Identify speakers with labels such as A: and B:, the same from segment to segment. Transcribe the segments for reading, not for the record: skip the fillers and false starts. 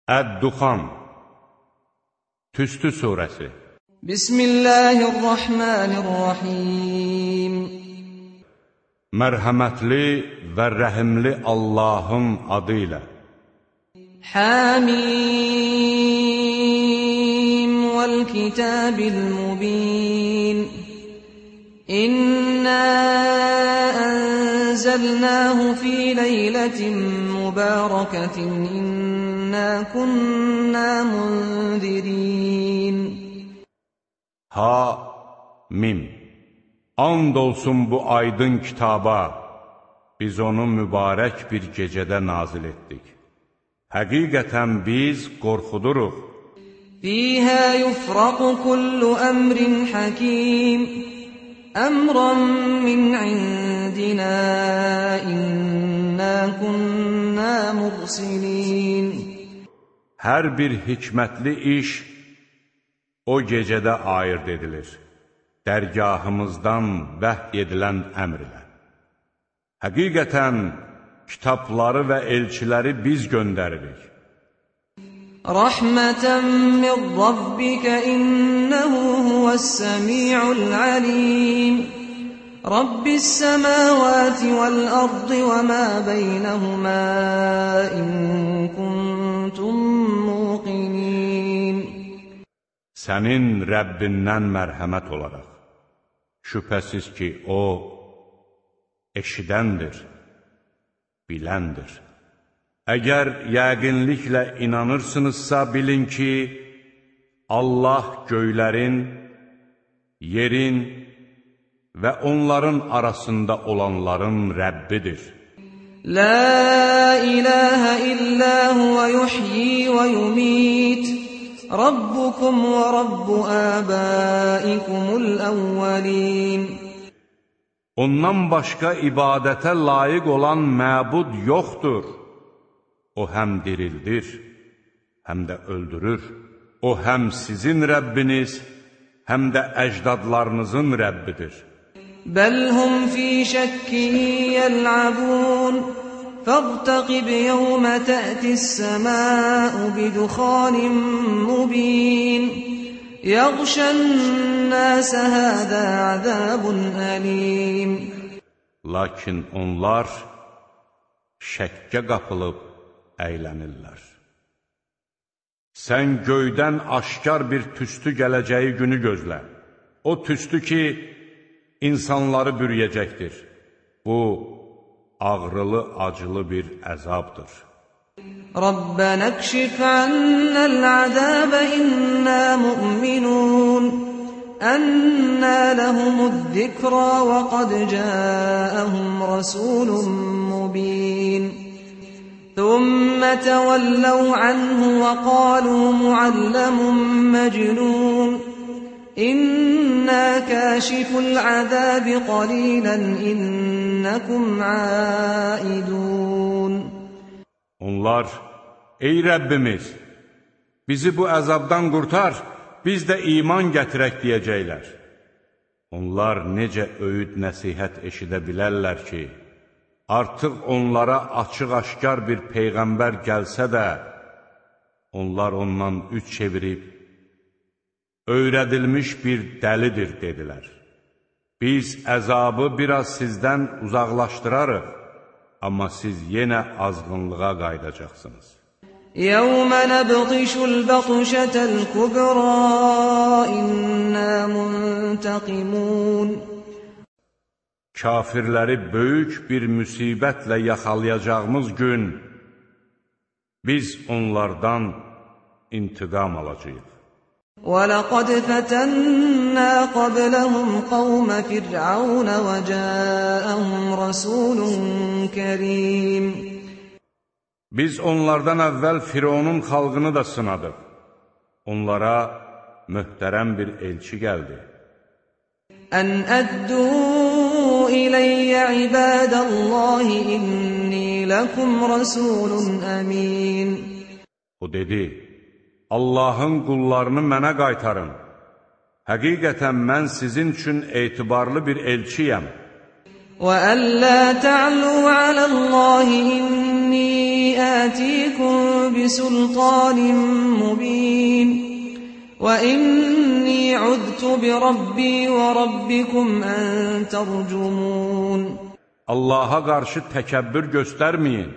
A: Əd-Duxan Tüstü surəsi
B: Bismillahirrahmanirrahim
A: Mərhəmətli və rəhimli Allahın adı ilə
B: Hamim vəl-kitabil mubin İnna ənzəlnəhu fi leylətin mübarəketin İnna kunna munzirin
A: Ha-mim And olsun bu aydın kitaba, biz onu mübarək bir gecədə nazil etdik. Həqiqətən biz qorxuduruq.
B: Fīhə yufraqu kullu əmrin hakim, əmran min indina, inna kunna mursilin.
A: Hər bir hikmətli iş o gecədə ayırd edilir. Dərgahımızdan vəhy edilən əmr ilə. Həqiqətən, kitabları və elçiləri biz göndəririk.
B: Rəhmətən min Rabbikə innəhu huvəs-səmi'ul alim. Rabbis-səməvəti vəl-ardı və mə beynəhumə in kuntum muqinin.
A: Sənin Rəbbindən mərhəmət olaraq. Şübhəsiz ki, O, eşidəndir, biləndir. Əgər yəqinliklə inanırsınızsa, bilin ki, Allah göylərin, yerin və onların arasında olanların Rəbbidir.
B: La ilahə illə huvə yuhyi və yumit. Rabbukum və Rabbu əbaikumul əvvəlin.
A: Ondan başqa ibadətə layiq olan məbud yoxdur. O həm dirildir, həm də öldürür. O həm sizin Rəbbiniz, həm də əcdadlarınızın Rəbbidir.
B: Bəlhum fi şəkkin yəl'abun. فارتقب يوم تأتي السماء بدخان مبين يغشى الناس هذا عذاب أليم.
A: Lakin onlar şəkkə qapılıb əylənirlər. Sən göydən aşkar bir tüstü gələcəyi günü gözlə. O tüstü ki, insanları bürüyəcəkdir. Bu, ağrılı, acılı bir əzabdır.
B: Rabbənə kşif annəl-əzəbə innə mu'minun. Ənnə ləhumu'z-zikrə və qad cəəəhum rasulun mubin. Thumma təvəlləv anhu və qalu mualləmun məcnun. İnna kâşiful azâbi qalîlan innakum âidûn.
A: Onlar, ey Rəbbimiz, bizi bu əzabdan qurtar, biz də iman gətirək deyəcəklər. Onlar necə öyüd nəsihət eşidə bilərlər ki, artıq onlara açıq-aşkar bir peyğəmbər gəlsə də, onlar ondan üç çevirib, öyrədilmiş bir dəlidir, dedilər. Biz əzabı biraz sizdən uzaqlaşdırarıq, amma siz yenə azğınlığa qaydacaqsınız.
B: Yəvmə nəbdişul bəqşətəl kübrə innə muntəqimun.
A: Kafirləri böyük bir müsibətlə yaxalayacağımız gün, biz onlardan intiqam alacağıq.
B: وَلَقَدْ فَتَنَّا قَبْلَهُمْ قَوْمَ فِرْعَوْنَ وَجَاءَهُمْ رَسُولٌ كَرِيمٌ.
A: Biz onlardan əvvəl Fironun xalqını da sınadıq. Onlara möhtərəm bir elçi gəldi.
B: Ən əddu iləyyə ibadəllahi inni ləkum rasulun əmin.
A: O dedi, Allahın qullarını mənə qaytarın. Həqiqətən mən sizin üçün etibarlı bir elçiyəm.
B: وَأَلَّا تَعْلُوا عَلَى اللَّهِ إِنِّي آتيكم بسلطان مبين وإني عذت بربي وربكم أن ترجمون.
A: Allaha qarşı təkəbbür göstərməyin.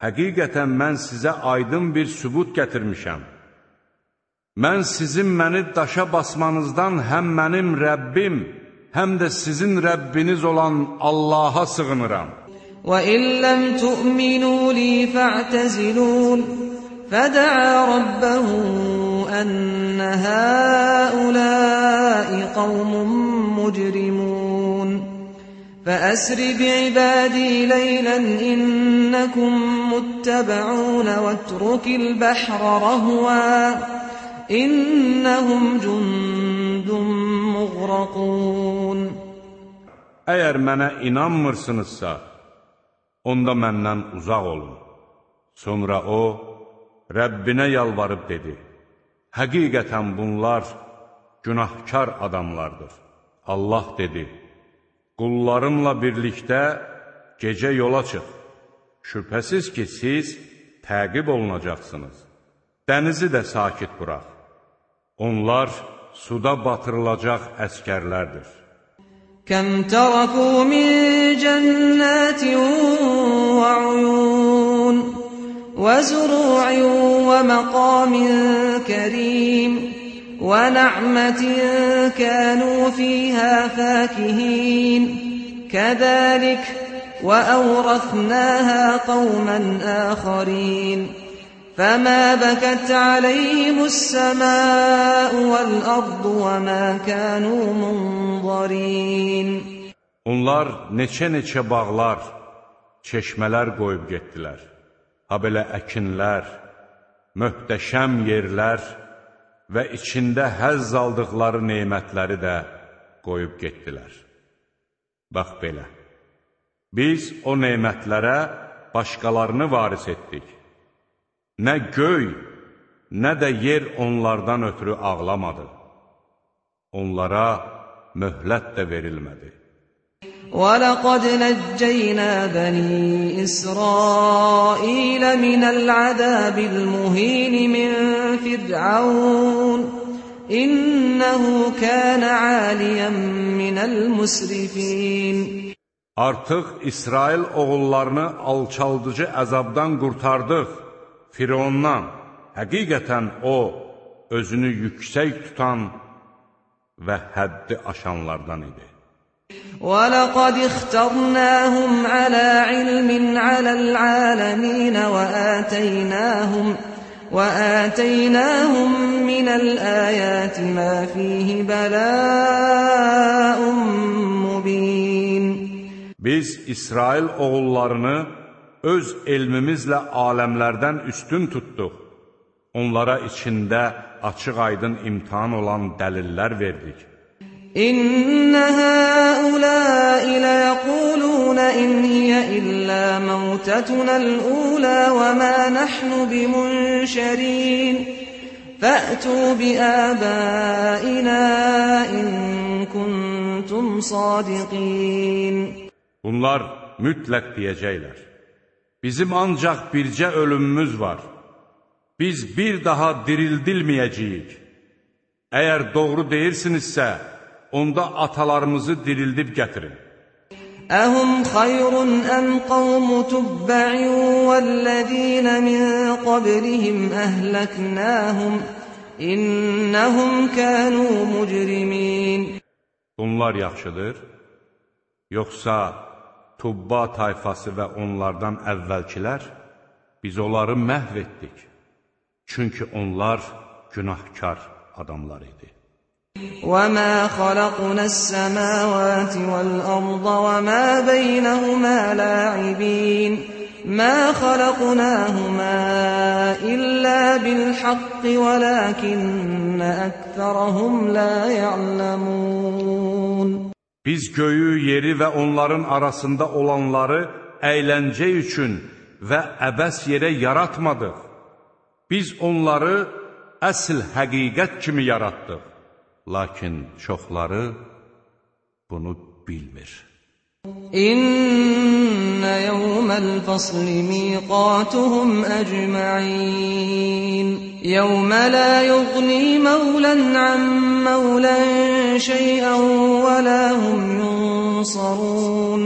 A: Həqiqətən mən sizə aydın bir sübut gətirmişəm. Mən sizin məni daşa basmanızdan həm mənim Rəbbim, həm də sizin Rəbbiniz olan Allaha sığınıram.
B: وَإِن لَّمْ تُؤْمِنُوا لِي فَاعْتَزِلُونِ فَدَعَا رَبَّهُ أَنَّ هَٰؤُلَاءِ قَوْمٌ مُّجْرِمُونَ فَأَسْرِ بِعِبَادِي لَيْلًا إِنَّكُم مُّتَّبَعُونَ وَاتْرُكِ الْبَحْرَ رَهْوًا إِنَّهُمْ جُندٌ مُّغْرَقُونَ.
A: Əgər mənə inanmırsınızsa, onda məndən uzaq olun. Sonra o, Rəbbinə yalvarıb dedi, həqiqətən bunlar günahkar adamlardır. Allah dedi, qullarımla birlikdə gecə yola çıx. Şübhəsiz ki, siz təqib olunacaqsınız. Dənizi də sakit burax. Onlar suda batırılacaq əskərlərdir.
B: كَمْ تَرَكُوا مِنْ جَنَّاتٍ وَعُيُونٍ وَزُرُوعٍ وَمَقَامٍ كَرِيمٍ وَنَعْمَةٍ كَانُوا فِيهَا فَاكِهِينَ كَذَلِكَ وَأَوْرَثْنَاهَا قَوْمًا آخَرِينَ فَمَا بَكَتْ عَلَيْهِمُ السَّمَاءُ وَالْأَرْضُ وَمَا كَانُوا مُنظَرِينَ.
A: Onlar neçə bağlar, çeşmələr qoyub getdilər. Ha belə əkinlər, möhtəşəm yerlər və içində həzz aldıqları nemətləri də qoyub getdilər. Bax belə, biz o nemətlərə başqalarını varis etdik. Nə göy, nə də yer onlardan ötürü ağlamadı. Onlara möhlət də verilmədi.
B: وَلَقَدْ نَجَّيْنَا بَنِي إِسْرَائِيلَ مِنَ الْعَذَابِ الْمُهِينِ مِنْ فِرْعَوْنَ إِنَّهُ كَانَ عَالِيًا مِنَ الْمُسْرِفِينَ.
A: Artıq İsrail oğullarını alçaldıcı əzabdan qurtardıq. Firondan, həqiqətən o, özünü yüksək tutan və həddi aşanlardan idi.
B: وَلَقَدِ اخْتَرْنَاهُمْ عَلَى عِلْمٍ عَلَى الْعَالَمِينَ وَآتَيْنَاهُمْ مِنَ الْآيَاتِ مَا فِيهِ بَلَاءٌ مُّبِينٌ.
A: Biz İsrail oğullarını öz elmimizlə aləmlərdən üstün tutduq. Onlara içində açıq-aydın imtihan olan dəlillər verdik.
B: إِنَّ هَٰؤُلَاءِ لَيَقُولُونَ إِنْ هِيَ إِلَّا مَوْتَتُنَا الْأُولَىٰ وَمَا نَحْنُ بِمُنشَرِينَ فَأْتُوا بِآبَائِنَا إِن كُنتُمْ صَادِقِينَ.
A: Bunlar mütləq deyəcəklər. Bizim ancaq bircə ölümümüz var. Biz bir daha dirildilməyəcəyik. Əgər doğru deyirsinizsə, onda atalarımızı dirildib gətirin.
B: أَهُمْ خَيْرٌ أَمْ قَوْمُ تُبَّعٍ وَالَّذِينَ مِنْ قَبْلِهِمْ أَهْلَكْنَاهُمْ إِنَّهُمْ كَانُوا مُجْرِمِينَ.
A: Bunlar yaxşıdır, yoxsa Tubba tayfası və onlardan əvvəlkilər, biz onları məhv etdik. Çünki onlar günahkar adamlar idi.
B: وَمَا خَلَقْنَا السَّمَاوَاتِ وَالْأَرْضَ وَمَا بَيْنَهُمَا لَاعِبِينَ مَا خَلَقْنَاهُمَا إِلَّا بِالْحَقِّ وَلَكِنَّ أَكْثَرَهُمْ لَا يَعْلَمُونَ.
A: Biz göyü, yeri və onların arasında olanları əyləncə üçün və əbəs yerə yaratmadıq. Biz onları əsl həqiqət kimi yaratdıq. Lakin çoxları bunu bilmir.
B: İnne yevmel fasli miqatuhum ecma'in. Yevme la yughni mevlen an mevlen şey'en ve la hum yunsarun.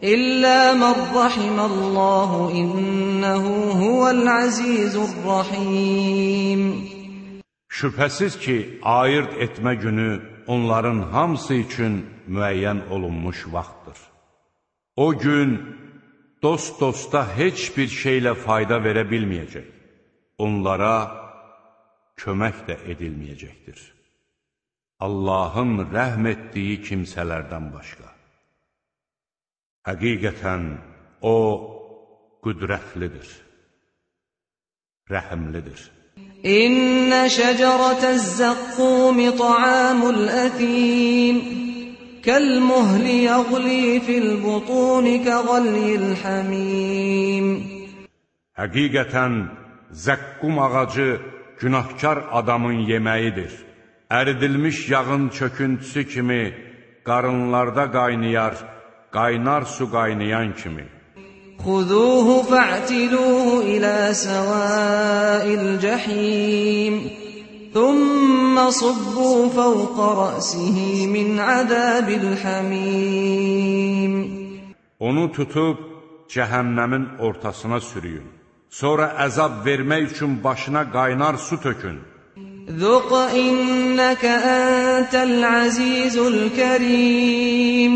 B: İlla men rahimallahu innehu huvel azizur rahim.
A: Şübhəsiz ki, ayırt etmə günü onların hamısı üçün müəyyən olunmuş vaxtdır. O gün dost-dosta heç bir şeylə fayda verə bilməyəcək. Onlara kömək də edilməyəcəkdir. Allahın rəhm etdiyi kimsələrdən başqa. Həqiqətən O qüdrətlidir, rəhimlidir.
B: İnne şeceretez zakkum ta'amul athim kelmuhli yagli fil butun kaghlil hamim.
A: Həqiqətən zəqqum ağacı günahkar adamın yeməyidir. Əridilmiş yağın çöküntüsü kimi qarınlarda qaynayar, qaynar su qaynayan kimi.
B: Xuzuhu fa'tiluhu ila sawa'il jahim. Thumma subbu fawqa ra'sihi min azabil hamim.
A: Onu tutub cəhənnəmin ortasına sürüyün. Sonra əzab vermək üçün başına qaynar su tökün.
B: Zuq innaka antal azizul kerim.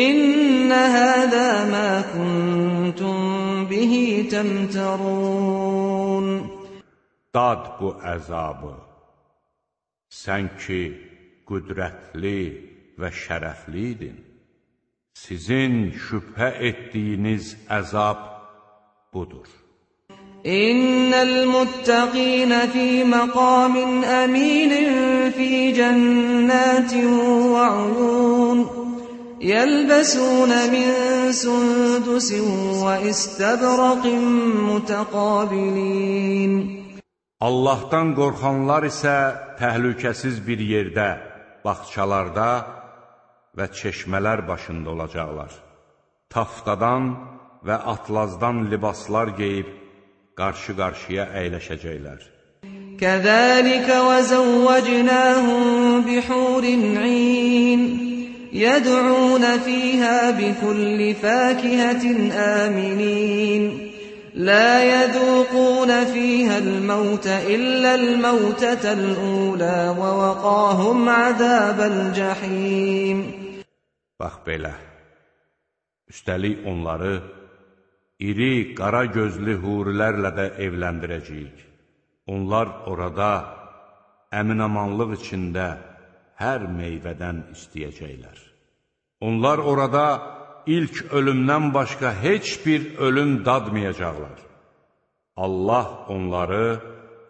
B: İnne hâzâ mâ kuntum bihi temterûn.
A: Dad bu əzabı, sən ki, qüdrətli və şərəfliydin. Sizin şübhə etdiyiniz əzab budur.
B: İnnel muttaqîne fî maqâmin əmînin fî cennâtin ve uyûn. يَلْبَسُونَ مِنْ سُنْدُسٍ وَإِسْتَبْرَقٍ مُتَقَابِلِينَ.
A: Allahdan qorxanlar isə təhlükəsiz bir yerdə, bağçalarda və çeşmələr başında olacaqlar. Taftadan və atlazdan libaslar geyib, qarşı-qarşıya əyləşəcəklər.
B: كَذَلِكَ وَزَوَّجْنَاهُمْ بِحُورٍ عِينٍ يَدْعُونَ فِيهَا بِكُلِّ فَاكِهَةٍ آمِنِينَ لَا يَذُوقُونَ فِيهَا الْمَوْتَ إِلَّا الْمَوْتَةَ الْأُولَى وَوَقَاهُمْ عَذَابَ الْجَحِيمِ.
A: Bax belə, üstəlik onları iri, qara gözlü hurilərlə də evləndirəcəyik. Onlar orada əminamanlıq içində hər meyvədən istəyəcəklər. Onlar orada ilk ölümdən başqa heç bir ölüm dadmayacaqlar. Allah onları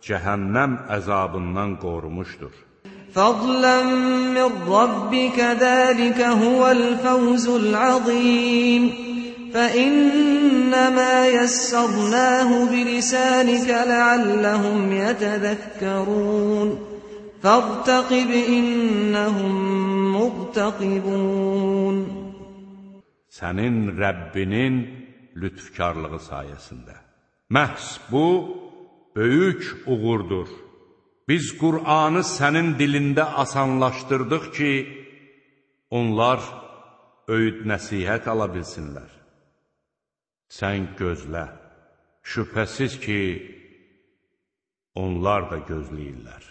A: cəhənnəm əzabından qorumuşdur.
B: فَضْلًا مِّن رَّبِّكَ ذَٰلِكَ هُوَ الْفَوْزُ الْعَظِيمُ فَإِنَّمَا يَسَّرْنَاهُ بِلِسَانِكَ لَعَلَّهُمْ يَتَذَكَّرُونَ فَارْتَقِبْ إِنَّهُمْ مُرْتَقِبُونَ.
A: Sənin Rəbbinin lütfkarlığı sayəsində. Məhz bu, böyük uğurdur. Biz Qur'anı sənin dilində asanlaşdırdıq ki, onlar öyüd nəsihət ala bilsinlər. Sən gözlə, şübhəsiz ki, onlar da gözləyirlər.